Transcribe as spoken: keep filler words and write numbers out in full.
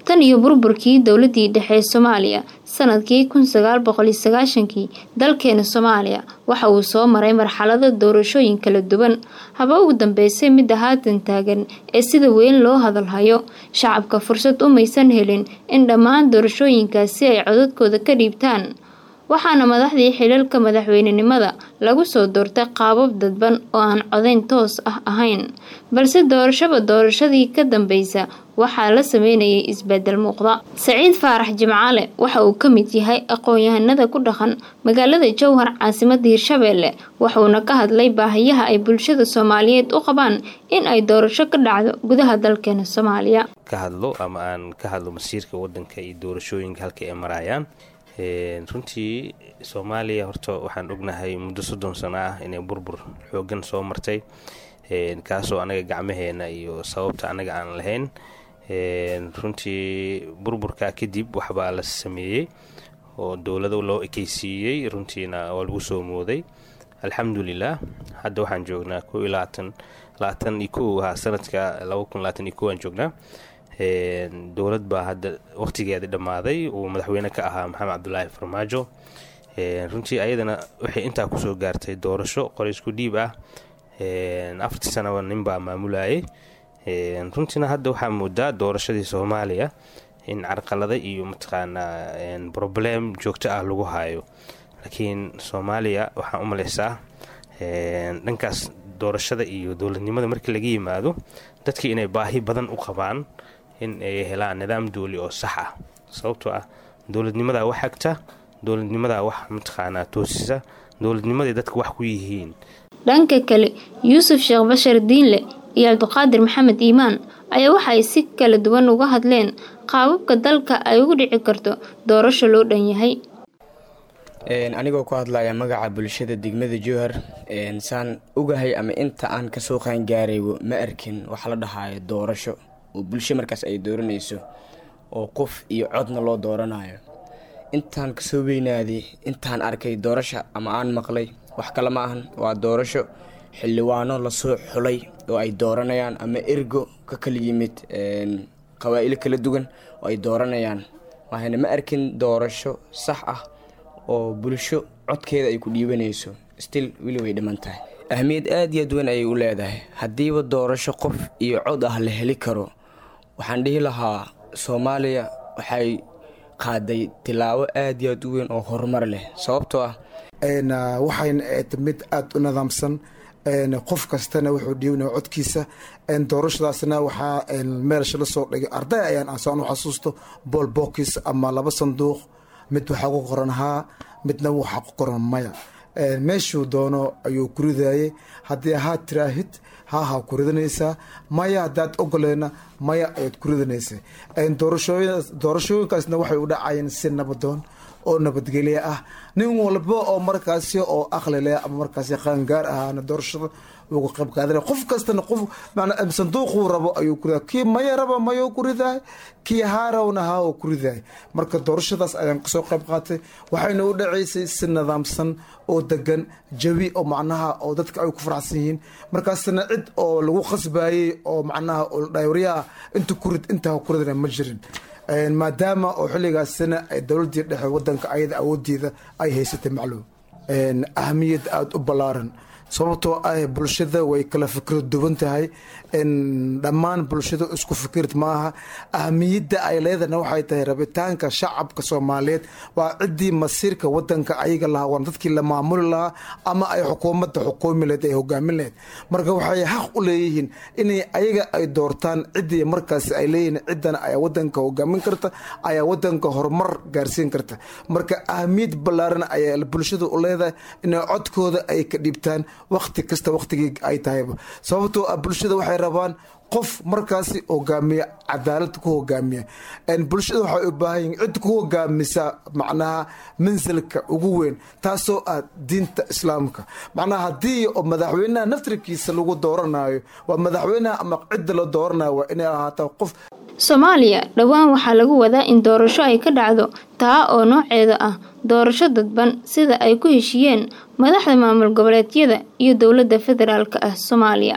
Tan iyo burburkii dowladii dhexe ee Soomaaliya sanadkii kun sagaal boqol iyo sagaashankii, dalkeena Soomaaliya waxa uu soo maray marxalado doorashooyin kala duwan, haba ugu dambeysay midda haatan taagan ee sida weyn loo hadal hayo. Shacabka fursad umaysan helin in dhammaan doorashooyinkaasi ay codadkooda ka dhiibtaan, waxaana madaxdii xilalka madaxweynenimada lagu soo doortay qaabab dadban oo aan codayn toos ah ahayn. Balse doorashaba doorashadii ka dambeysa waxaa la sameynayay isbedel muuqda. Saciid Faarax Jimcaale waxa uu ka mid yahay aqoon-yahanada ku dhaqan magaalada Jowhar, caasimadda Hirshabelle, wuxuuna ka hadlay baahiyaha ay bulshada Soomaaliyeed u qabaan in ay doorasho ka dhacdo gudaha dalkeena Soomaaliya. Ka hadlo ama aan ka hadlo masiirka wadanka iyo doorashooyinka halka ay marayaan. Runtii Soomaaliya horta waxaan ognahay muddo soddon sano ah inay burbur xoogan soo martay, kaasoo anaga gacmaheena iyo sababta anaga aan lahayn. Runtii burburkaa kadib waxbaa la sameeyey oo dowlado loo ekeysiiyey, runtiina waa lagu soo mooday. Alxamdulilah, hadda waxaan joognaa ko iyo labaatan labaatan iyo kow ahaa sanadka laba kun labaatan iyo kow aan joognaa. Dowlad baa hadda waqtigeeda dhammaaday uu madaxweyne ka ahaa Maxamed Cabdulaahi Farmaajo. Runtii ayadana waxay intaa kusoo gaartay doorasho qoraysku dhiib ah, afartii sanaba ninbaa maamulayay. Runtiina hadda waxaa moodaa doorashadii Soomaaliya in carqalada iyo mataqaanaa problem joogto ah lagu hayo, laakiin Soomaaliya waxaan u maleysaa dhankaas doorashada iyo dowladnimada markii laga yimaado, dadkii inay baahi badan u qabaan in ay helaan nidaam dooli oo sax ah, sababtoo ah dowladnimadaa wax hagta, dowladnimadaa wax mataqaanaa toosisa, dowladnimaday dadka wax ku yihiin. Dhanka kale, Yuusuf Sheekh Bashar Diinle iyo Cabdiqaadir Maxamed Iimaan ayaa waxa ay si kala duwan uga hadleen qaababka dalka ay ugu dhici karto doorasho loo dhan yahay. Anigoo ku hadlaya magaca bulshada degmada Jowhar, saan ogahay ama inta aan kasoo qaangaaraybo, ma arkin waxa la dhahayo doorasho oo bulsho markaas ay dooranayso oo qof iyo codna loo dooranayo. Intaan kasoo weynaaday, intaan arkay doorasha ama aan maqlay, wax kale ma ahan, waa doorasho xildhibaano lasoo xulay oo ay dooranayaan ama ergo ka kala yimid qabaa'ilo kala duwan oo ay dooranayaan. Waxayna ma arkin doorasho sax ah oo bulsho codkeeda ay ku dhiibanayso. Still weli way dhiman tahay. Ahmiyad aada iyo aad weyn ayay u leedahay. Haddiiba doorasho qof iyo cod ah la heli karo, waxaan dhihi lahaa Soomaaliya waxay qaaday tilaabo aada iyo aad u weyn oo horumar leh, sababtoo ah waxayna ahayd mid aada u nidaamsan, qof kastana wuxuu dhiibanaya codkiisa. Doorashadaasna waxaa meelsha la soo dhigay arday ayaan aan u xasuusto bool box ama laba sanduuq, mid waxaa ku qoran haa, midna waxaa ku qoran maya. Meeshuu doono ayuu ku ridayay. Haddii haa tiraahid, haahaa ku ridanaysaa, maya haddaad ogoleena, maya ayaad ku ridanaysaa. Doorashooyinkaasna waxay u dhacayeen si nabadoon oo nabadgelyo ah. Nin walba oo markaasi oo aqli leh ama markaasi qaangaar ahaana doorashada uga qayb qaadanaya. Qof kastana qof manaa sanduuquu rabo ayuu ku ridaa. Kii maya raba mayuu ku ridaay, kii haa rabna haa ku ridaay. Marka doorashadaas ayaan kasoo qayb qaatay, waxayna u dhaceysay si nidaamsan oo degan, jawi oo macnaha oo dadka ay ku faraxsan yihiin. Markaasna cid oo lagu khasbayey oo macnaha oo dhaywaryaha inta ku rid intaa ku ridana ma jirin, maadaama oo xilligaasina ay dowladii dhexe wadanka ayada awoodeeda ay haysatay. Macluum ahamiyad aada u ballaaran, sababtoo ah bulshada way kala fikrad duwan tahay, dhammaan bulshada isku fikird maaha. Ahamiyadda ay leedahna waxay tahay rabitaanka shacabka Soomaaliyeed, waa ciddii masiirka wadanka ayaga lahaa, waan dadkii la maamuli lahaa ama ay xukuumadda xukuumi lahayd, ay hogaamin lahayd. Marka waxay xaq u leeyihiin inay ayaga ay doortaan ciddii markaas ay leeyihiin ciddana ayaa wadanka hogaamin karta, ayaa wadanka horumar gaarsiin karta. Marka ahamiyad ballaaran ayaa bulshada u leedahay inay codkooda ay ka dhiibtaan waqti kasta, waqtigii ay tahayba, sababtoo ah bulshada waxay rabaan qof markaasi hogaamiya, cadaalad ku hogaamiya. Bulshada waxay u baahan yihin cid ku hogaamisa macnaha mansilka ugu weyn, taasoo ah diinta Islaamka. Macnaha haddii oo madaxweynaha naftirkiisa lagu dooranayo, waa madaxweynaha ama cidda la dooranayo waa inay ahaataa qof. Soomaaliya dhowaan waxaa lagu wadaa in doorasho ay ka dhacdo, taa oo nooceeda ah doorasho dadban, sida ay ku heshiiyeen madaxda maamul goboleedyada iyo dowladda federaalka ah Soomaaliya.